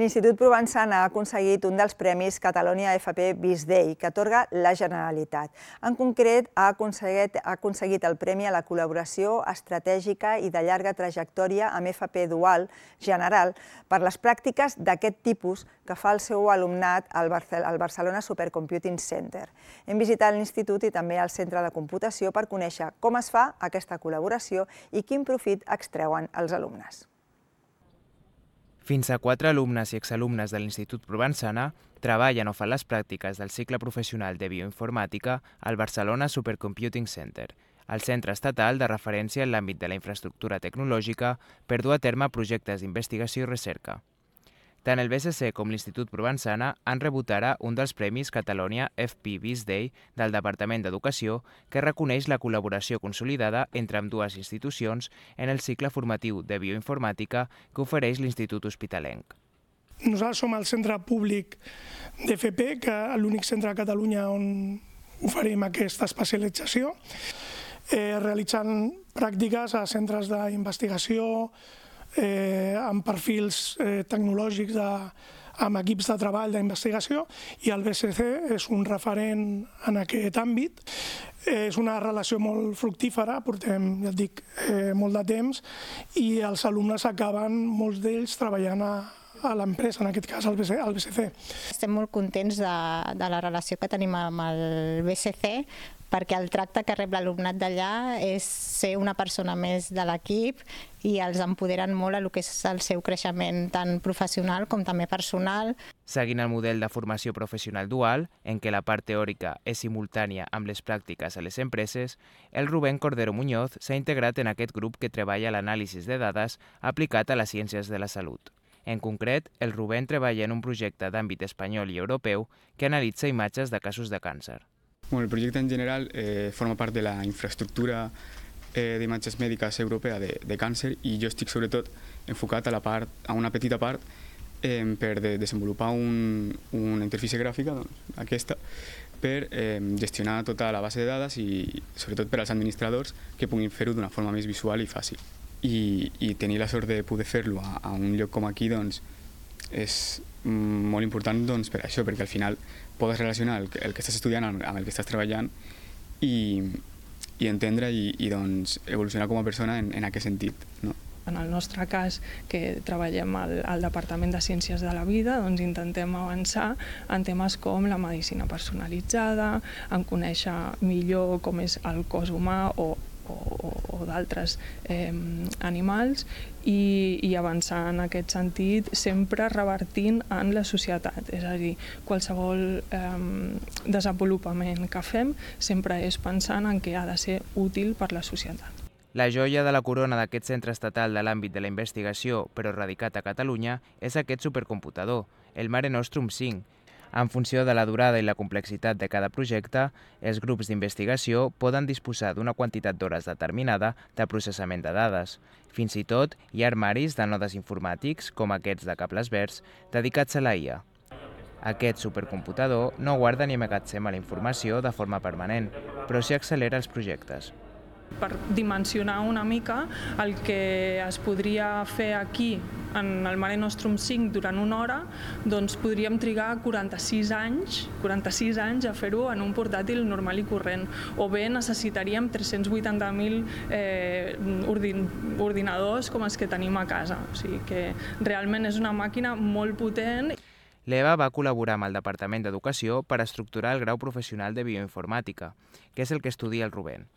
L'Institut Provençana ha aconseguit un dels premis Catalonia FP Biz Day, que atorga la Generalitat. En concret, ha aconseguit el premi a la col·laboració estratègica i de llarga trajectòria amb FP Dual General per les pràctiques d'aquest tipus que fa el seu alumnat al Barcelona Supercomputing Center. Hem visitat l'institut i també el centre de computació per conèixer com es fa aquesta col·laboració i quin profit extreuen els alumnes. Fins a 4 alumnes i exalumnes de l'Institut Provençana treballen o fan les pràctiques del cicle professional de bioinformàtica al Barcelona Supercomputing Center, el centre estatal de referència en l'àmbit de la infraestructura tecnològica per dur a terme projectes d'investigació i recerca. Tant el BSC com l'Institut Provençana han rebut ara un dels premis Catalonia FP Biz Day del Departament d'Educació que reconeix la col·laboració consolidada entre ambdues institucions en el cicle formatiu de bioinformàtica que ofereix l'Institut Hospitalenc. Nosaltres som el centre públic d'FP, que és l'únic centre a Catalunya on oferim aquesta especialització, realitzant pràctiques a centres d'investigació, amb perfils tecnològics amb equips de treball d'investigació, i el BSC és un referent en aquest àmbit. És una relació molt fructífera, portem, ja et dic, molt de temps, i els alumnes acaben, molts d'ells, treballant a l'empresa, en aquest cas al BSC. Estem molt contents de la relació que tenim amb el BSC, perquè el tracte que rep l'alumnat d'allà és ser una persona més de l'equip i els empoderen molt a el que és el seu creixement tant professional com també personal. Seguint el model de formació professional dual, en què la part teòrica és simultània amb les pràctiques a les empreses, el Rubén Cordero Muñoz s'ha integrat en aquest grup que treballa l'anàlisi de dades aplicat a les ciències de la salut. En concret, el Rubén treballa en un projecte d'àmbit espanyol i europeu que analitza imatges de casos de càncer. El projecte en general forma part de la infraestructura d'imatges mèdiques europea de càncer i jo estic sobretot enfocat a una petita part per desenvolupar una interfície gràfica, aquesta, per gestionar tota la base de dades i sobretot per als administradors que puguin fer-ho d'una forma més visual i fàcil. I tenir la sort de poder fer-lo a un lloc com aquí és molt important per això, perquè al final podes relacionar el que estàs estudiant amb el que estàs treballant i entendre i evolucionar com a persona en aquest sentit. En el nostre cas, que treballem al Departament de Ciències de la Vida, intentem avançar en temes com la medicina personalitzada, en conèixer millor com és el cos humà o d'altres animals i avançar en aquest sentit sempre revertint en la societat. És a dir, qualsevol desenvolupament que fem sempre és pensant en què ha de ser útil per la societat. La joia de la corona d'aquest centre estatal de l'àmbit de la investigació, però radicat a Catalunya, és aquest supercomputador, el Mare Nostrum 5. En funció de la durada i la complexitat de cada projecte, els grups d'investigació poden disposar d'una quantitat d'hores determinada de processament de dades. Fins i tot hi ha armaris de nodes informàtics, com aquests de cables verds, dedicats a la IA. Aquest supercomputador no guarda ni emmagatzema la informació de forma permanent, però sí accelera els projectes. Per dimensionar una mica el que es podria fer aquí en el Mare Nostrum 5 durant una hora, podríem trigar 46 anys a fer-ho en un portàtil normal i corrent. O bé necessitaríem 380.000 ordinadors com els que tenim a casa. O sigui que realment és una màquina molt potent. L'Eva va col·laborar amb el Departament d'Educació per estructurar el grau professional de bioinformàtica, que és el que estudia el Rubén.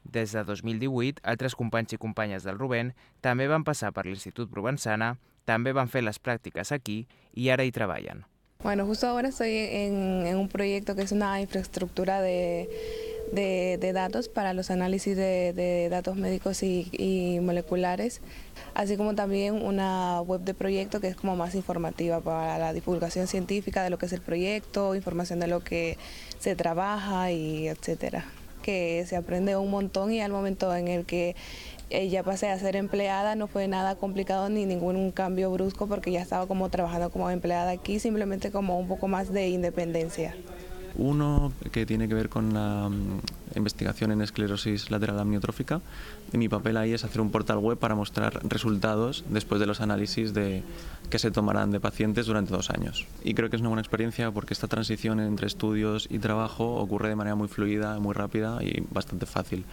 Des de 2018, altres companys i companyes del Rubén també van passar per l'Institut Provençana, també van fer les pràctiques aquí i ara hi treballen. Bueno, justo ahora estoy en un proyecto que es una infraestructura de datos para los análisis de datos médicos y moleculares, así como también una web de proyecto que es como más informativa para la divulgación científica de lo que es el proyecto, información de lo que se trabaja y etcétera. Que se aprende un montón y al momento en el que ya pasé a ser empleada no fue nada complicado ni ningún cambio brusco porque ya estaba como trabajando como empleada aquí, simplemente como un poco más de independencia. uno que tiene que ver con la investigación en esclerosis lateral amniotrófica y mi papel ahí es hacer un portal web para mostrar resultados después de los análisis que se tomarán de pacientes durante 2 años. Y creo que es una buena experiencia porque esta transición entre estudios y trabajo ocurre de manera muy fluida, muy rápida y bastante fàcil.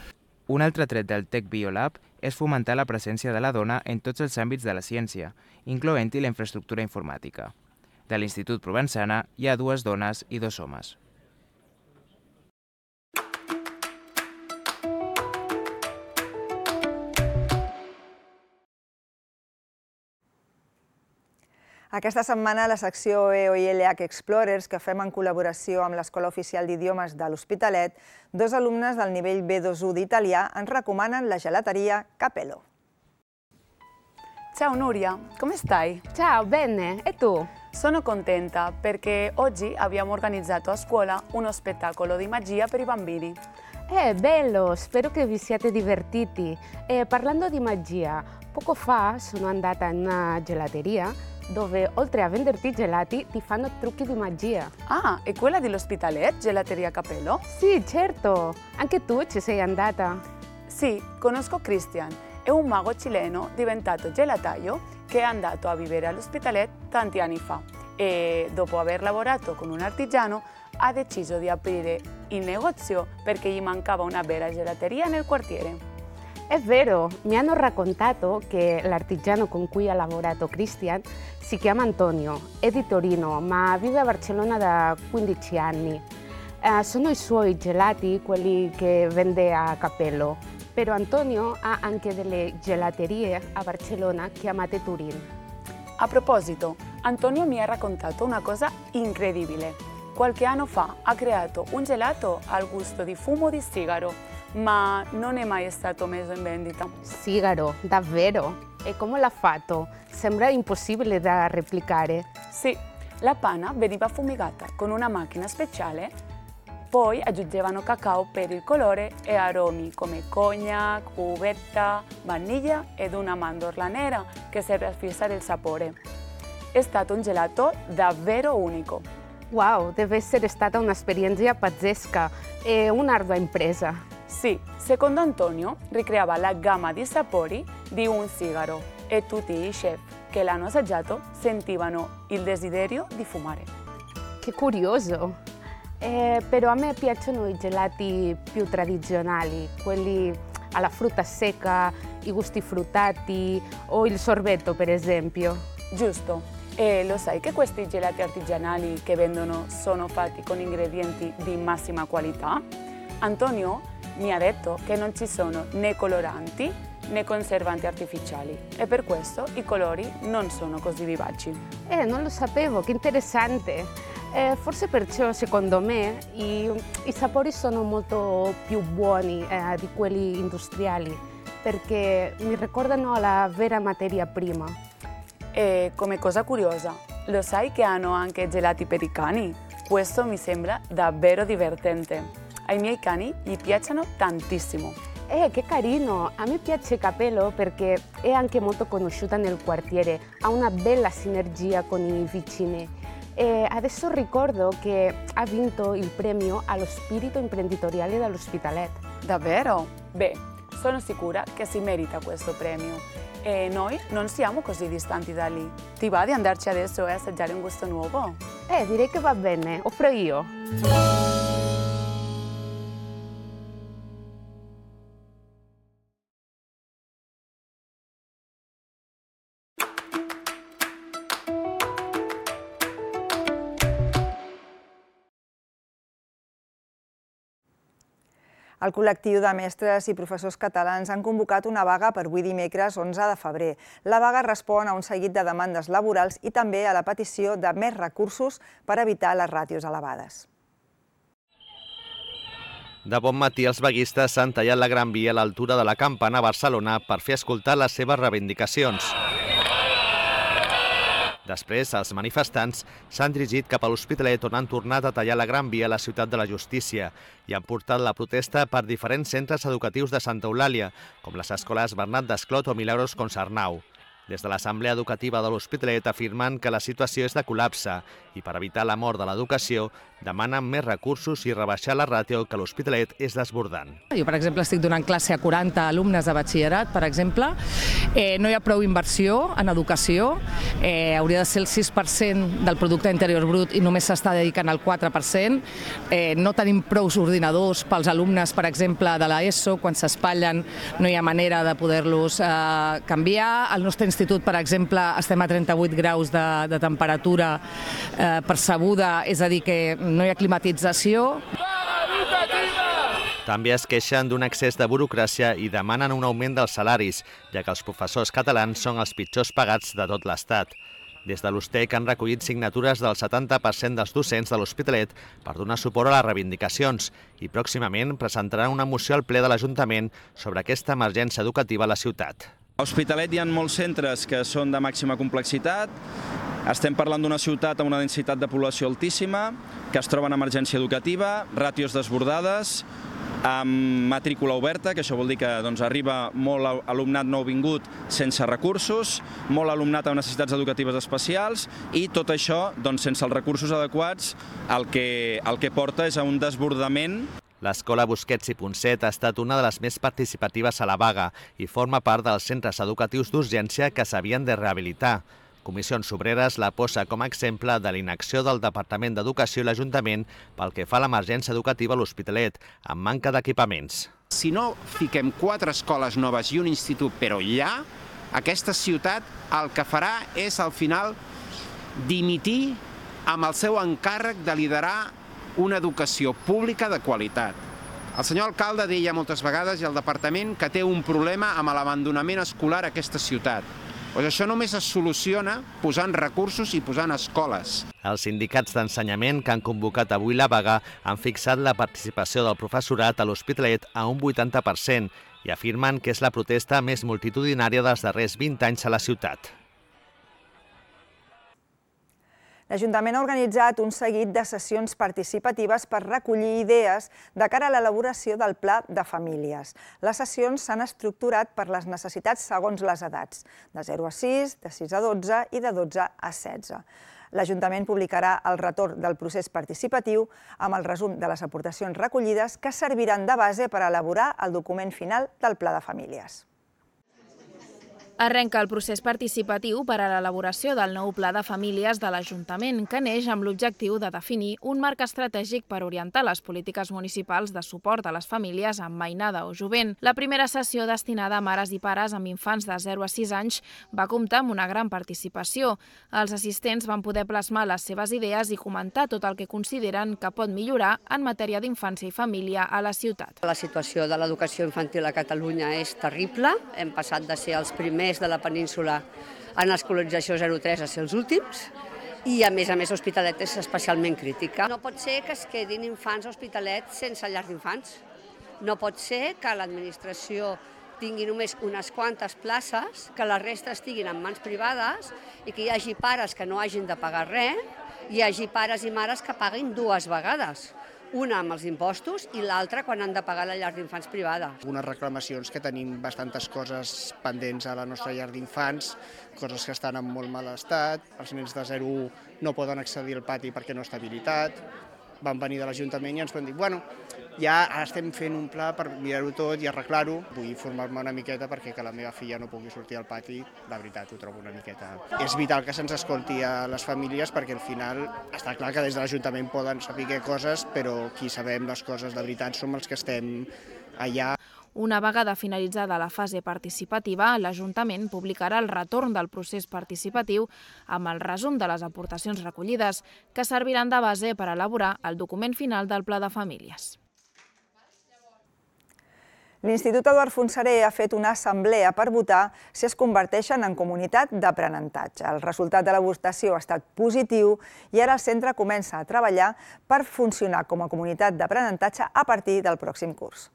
Un altre tret del Tech Biolab és fomentar la presència de la dona en tots els àmbits de la ciència, incloent-hi la infraestructura informàtica. De l'Institut Provençana hi ha 2 dones i 2 homes. Aquesta setmana, la secció EOILH Explorers, que fem en col·laboració amb l'Escola Oficial d'Idiomes de l'Hospitalet, 2 alumnes del nivell B2-1 d'italià ens recomanen la gelateria Capello. Ciao Nuria, come stai? Ciao, bene, e tu? Sono contenta perché oggi abbiamo organizzato a scuola uno spettacolo di magia per i bambini. Bello, spero che vi siate divertiti. Parlando di magia, poco fa sono andata in una gelateria dove oltre a venderti gelati ti fanno trucchi di magia. Ah, è quella dell'Hospitalet, Gelateria Capello? Sì, certo. Anche tu ci sei andata? Sì, conosco Christian. È un mago cileno diventato gelataio che è andato a vivere all'Hospitalet tanti anni fa e dopo aver lavorato con un artigiano ha deciso di aprire il negozio perché gli mancava una vera gelateria nel quartiere. È vero, mi hanno raccontato che l'artigiano con cui ha lavorato Christian si chiama Antonio, è di Torino, ma vive a Barcellona da 15 anni. Sono i suoi gelati quelli che vende a Capello, però Antonio ha anche delle gelaterie a Barcellona chiamate Turin. A proposito, Antonio mi ha raccontato una cosa incredibile. Qualche anno fa ha creato un gelato al gusto di fumo di sigaro, ma non è mai stato messo in vendita. Sigaro, davvero? E come l'ha fatto? Sembra impossibile da replicare. Sì, la panna veniva fumigata con una macchina speciale, poi aggiungevano cacao per il colore e aromi come cognac, uvetta, vaniglia ed una mandorla nera che serve a fissare il sapore. È stato un gelato davvero unico. Wow, deve essere stata un'esperienza pazzesca e un'ardua impresa. Sì, secondo Antonio ricreava la gamma di sapori di un sigaro e tutti i chef che l'hanno assaggiato sentivano il desiderio di fumare. Che curioso! Però a me piacciono i gelati più tradizionali, quelli alla frutta secca, i gusti fruttati o il sorbetto per esempio. Giusto, e lo sai che questi gelati artigianali che vendono sono fatti con ingredienti di massima qualità? Antonio mi ha detto che non ci sono né coloranti né conservanti artificiali e per questo i colori non sono così vivaci. Non lo sapevo, che interessante! Forse perciò, secondo me, i sapori sono molto più buoni di quelli industriali, perché mi ricordano la vera materia prima. E come cosa curiosa, lo sai che hanno anche gelati per i cani? Questo mi sembra davvero divertente. Ai miei cani gli piacciono tantissimo. Che carino! A me piace Capello perché è anche molto conosciuta nel quartiere, ha una bella sinergia con i vicini. E adesso ricordo che ha vinto il premio allo spirito imprenditoriale dall'Hospitalet. Davvero? Beh, sono sicura che si merita questo premio. E noi non siamo così distanti da lì. Ti va di andarci adesso e assaggiare un gusto nuovo? Direi che va bene, offro io. El col·lectiu de mestres i professors catalans han convocat una vaga per avui dimecres 11 de febrer. La vaga respon a un seguit de demandes laborals i també a la petició de més recursos per evitar les ràtios elevades. De bon matí, els vaguistes s'han tallat la Gran Via a l'altura de la Campana a Barcelona per fer escoltar les seves reivindicacions. Després, els manifestants s'han dirigit cap a l'Hospitalet on han tornat a tallar la Gran Via a la Ciutat de la Justícia i han portat la protesta per diferents centres educatius de Santa Eulàlia, com les escoles Bernat Desclot o Milagros Concernau. Des de l'Assemblea Educativa de l'Hospitalet afirmen que la situació és de col·lapse i per evitar la mort de l'educació demanen més recursos i rebaixar la ràtio que l'Hospitalet és desbordant. Jo, per exemple, estic donant classe a 40 alumnes de batxillerat, per exemple. No hi ha prou inversió en educació. Hauria de ser el 6% del producte interior brut i només s'està dedicant al 4%. No tenim prou ordinadors pels alumnes, per exemple, de l'ESO. Quan s'espatllen no hi ha manera de poder-los canviar. Al nostre institut, per exemple, estem a 38 graus de temperatura percebuda, és a dir, que no hi ha climatització. També es queixen d'un excés de burocràcia i demanen un augment dels salaris, ja que els professors catalans són els pitjors pagats de tot l'Estat. Des de l'USTEC han recollit signatures del 70% dels docents de l'Hospitalet per donar suport a les reivindicacions i pròximament presentaran una moció al ple de l'Ajuntament sobre aquesta emergència educativa a la ciutat. A l'Hospitalet hi ha molts centres que són de màxima complexitat. Estem parlant d'una ciutat amb una densitat de població altíssima, que es troba en emergència educativa, ràtios desbordades, amb matrícula oberta, que això vol dir que arriba molt alumnat nouvingut sense recursos, molt alumnat amb necessitats educatives especials i tot això, sense els recursos adequats, el que porta és a un desbordament. L'escola Busquets i Ponset ha estat una de les més participatives a la vaga i forma part dels centres educatius d'urgència que s'havien de rehabilitar. Comissions Obreres la posa com a exemple de l'inacció del Departament d'Educació i l'Ajuntament pel que fa a l'emergència educativa a l'Hospitalet, amb manca d'equipaments. Si no fiquem 4 escoles noves i un institut però ja, aquesta ciutat el que farà és al final dimitir amb el seu encàrrec de liderar una educació pública de qualitat. El senyor alcalde deia moltes vegades i el departament que té un problema amb l'abandonament escolar a aquesta ciutat. Doncs això només es soluciona posant recursos i posant escoles. Els sindicats d'ensenyament que han convocat avui la vaga han fixat la participació del professorat a l'Hospitalet a un 80% i afirmen que és la protesta més multitudinària dels darrers 20 anys a la ciutat. L'Ajuntament ha organitzat un seguit de sessions participatives per recollir idees de cara a l'elaboració del Pla de Famílies. Les sessions s'han estructurat per les necessitats segons les edats, de 0 a 6, de 6 a 12 i de 12 a 16. L'Ajuntament publicarà el retorn del procés participatiu amb el resum de les aportacions recollides que serviran de base per elaborar el document final del Pla de Famílies. Arrenca el procés participatiu per a l'elaboració del nou Pla de Famílies de l'Ajuntament, que neix amb l'objectiu de definir un marc estratègic per orientar les polítiques municipals de suport a les famílies amb mainada o jovent. La primera sessió destinada a mares i pares amb infants de 0 a 6 anys va comptar amb una gran participació. Els assistents van poder plasmar les seves idees i comentar tot el que consideren que pot millorar en matèria d'infància i família a la ciutat. La situació de l'educació infantil a Catalunya és terrible. Hem passat de ser els primers de la península en escolarització 0-3 a ser els últims i, a més, l'Hospitalet és especialment crítica. No pot ser que es quedin infants a Hospitalet sense llar d'infants. No pot ser que l'administració tingui només unes quantes places, que la resta estiguin en mans privades i que hi hagi pares que no hagin de pagar res, hi hagi pares i mares que paguin 2 vegades. Una amb els impostos i l'altra quan han de pagar la llar d'infants privada. Unes reclamacions que tenim bastantes coses pendents a la nostra llar d'infants, coses que estan en molt mal estat, els nens de 0 a 1 no poden accedir al pati perquè no està habilitat. Van venir de l'Ajuntament i ens van dir, bueno, ja estem fent un pla per mirar-ho tot i arreglar-ho. Vull formar-me una miqueta perquè que la meva filla no pugui sortir al pati, la veritat ho trobo una miqueta. És vital que se'ns escolti a les famílies perquè al final està clar que des de l'Ajuntament poden saber coses, però qui sabem les coses de veritat som els que estem allà. Una vegada finalitzada la fase participativa, l'Ajuntament publicarà el retorn del procés participatiu amb el resum de les aportacions recollides, que serviran de base per elaborar el document final del Pla de Famílies. L'Institut Eduard Fontserè ha fet una assemblea per votar si es converteixen en comunitat d'aprenentatge. El resultat de la votació ha estat positiu i ara el centre comença a treballar per funcionar com a comunitat d'aprenentatge a partir del pròxim curs.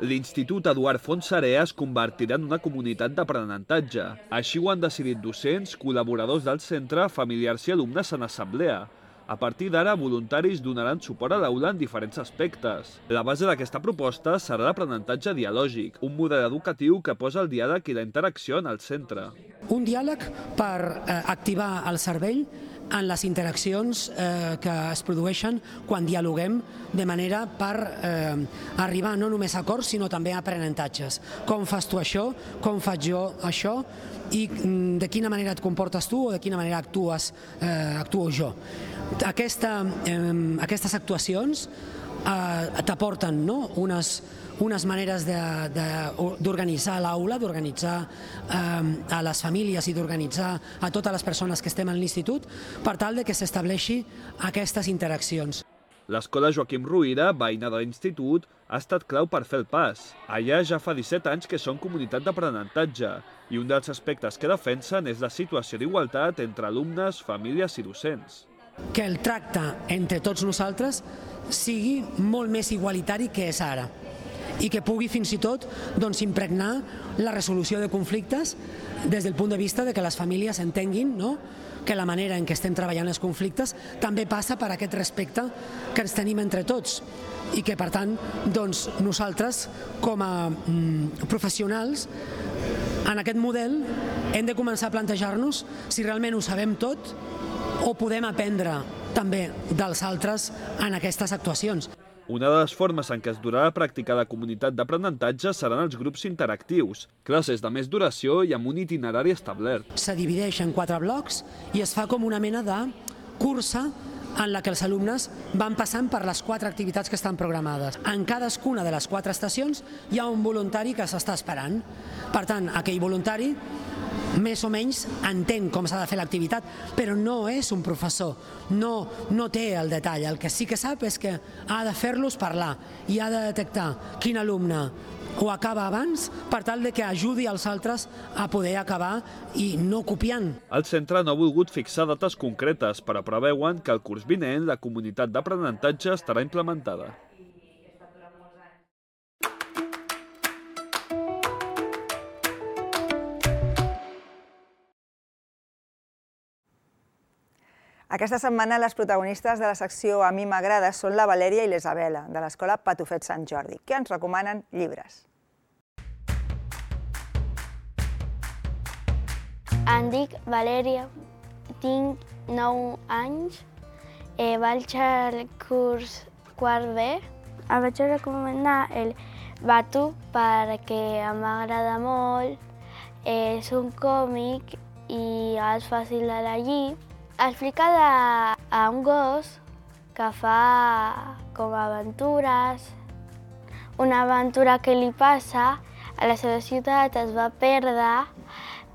L'Institut Eduard Fontserè es convertirà en una comunitat d'aprenentatge. Així ho han decidit docents, col·laboradors del centre, familiars i alumnes en assemblea. A partir d'ara, voluntaris donaran suport a l'aula en diferents aspectes. La base d'aquesta proposta serà l'aprenentatge dialògic, un model educatiu que posa el diàleg i la interacció en el centre. Un diàleg per activar el cervell en les interaccions que es produeixen quan dialoguem, de manera per arribar no només a acords, sinó també a aprenentatges. Com fas tu això? Com faig jo això? I de quina manera et comportes tu o de quina manera actuo jo. Aquestes actuacions t'aporten unes maneres d'organitzar l'aula, d'organitzar a les famílies i d'organitzar a totes les persones que estem a l'institut per tal que s'estableixi aquestes interaccions. L'escola Joaquim Ruïra, veïna de l'institut, ha estat clau per fer el pas. Allà ja fa 17 anys que són comunitat d'aprenentatge i un dels aspectes que defensen és la situació d'igualtat entre alumnes, famílies i docents. Que el tracte entre tots nosaltres sigui molt més igualitari que és ara i que pugui fins i tot impregnar la resolució de conflictes des del punt de vista que les famílies entenguin que la manera en què estem treballant els conflictes també passa per aquest respecte que ens tenim entre tots i que, per tant, nosaltres, com a professionals, en aquest model hem de començar a plantejar-nos si realment ho sabem tot o podem aprendre també dels altres en aquestes actuacions. Una de les formes en què es durà a practicar la comunitat d'aprenentatge seran els grups interactius, classes de més duració i amb un itinerari establert. Se divideix en 4 blocs i es fa com una mena de cursa en la que els alumnes van passant per les 4 activitats que estan programades. En cadascuna de les 4 estacions hi ha un voluntari que s'està esperant. Per tant, aquell voluntari més o menys entén com s'ha de fer l'activitat, però no és un professor, no té el detall. El que sí que sap és que ha de fer-los parlar i ha de detectar quin alumne ho acaba abans per tal que ajudi els altres a poder acabar i no copiant. El centre no ha volgut fixar dates concretes, però preveuen que el curs vinent la comunitat d'aprenentatge estarà implementada. Aquesta setmana les protagonistes de la secció A mi m'agrada són la Valèria i l'Isabela, de l'escola Patufet Sant Jordi, que ens recomanen llibres. Em dic Valèria, tinc 9 anys, vaig al curs quart B. Em vaig recomanar el Batu perquè em agrada molt, és un còmic i és fàcil de llegir. Explica d'un gos que fa com aventures. Una aventura que li passa a la seva ciutat es va perdre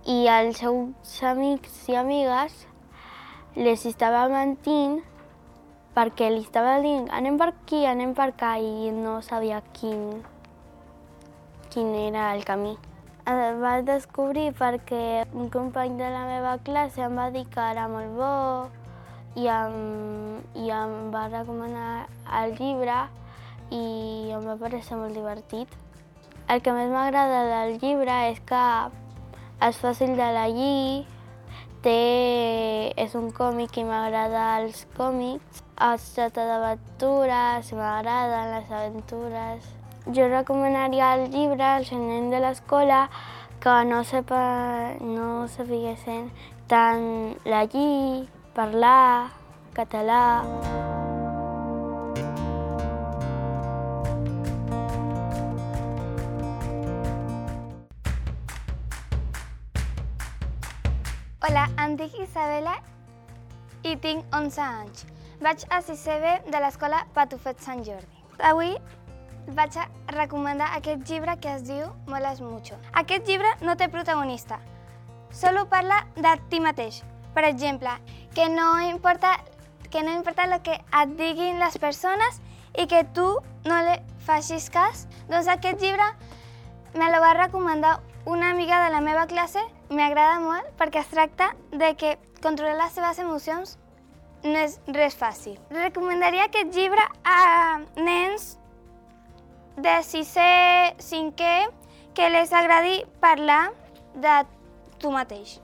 i els seus amics i amigues les estava mentint perquè li estava dient anem per aquí, anem per allà i no sabia quin era el camí. El vaig descobrir perquè un company de la meva classe em va dir que era molt bo i em va recomanar el llibre i em va parecer molt divertit. El que més m'agrada del llibre és que és fàcil de llegir, és un còmic i m'agrada els còmics, es tracta d'aventures, m'agraden les aventures. Jo recomanaria el llibre als nens de l'escola que no sapiguessin tant llegir, parlar, català. Hola, em dic Isabela i tinc 11 anys. Vaig a 6è B de l'escola Patufet Sant Jordi. Avui vaig a recomanar aquest llibre que es diu Moles Mucho. Aquest llibre no té protagonista, solo parla de ti mateix. Per exemple, que no importa el que et diguin les persones i que tu no li facis cas. Doncs aquest llibre me lo va recomanar una amiga de la meva classe. M'agrada molt perquè es tracta de que controlar les seves emocions no és res fàcil. Recomanaria aquest llibre a nens de 6è, 5è, que les agradi parlar de tu mateix.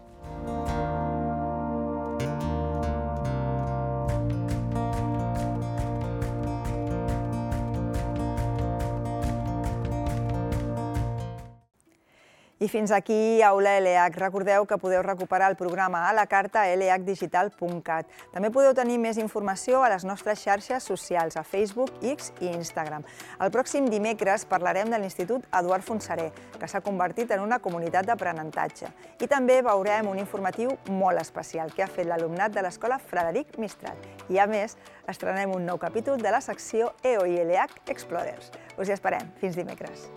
I fins aquí Aula LH. Recordeu que podeu recuperar el programa a la carta a lhdigital.cat. També podeu tenir més informació a les nostres xarxes socials, a Facebook, X i Instagram. El pròxim dimecres parlarem de l'Institut Eduard Fontserè, que s'ha convertit en una comunitat d'aprenentatge. I també veurem un informatiu molt especial que ha fet l'alumnat de l'Escola Frederic Mistral. I a més, estrenem un nou capítol de la secció EO i LH Explorers. Us hi esperem. Fins dimecres.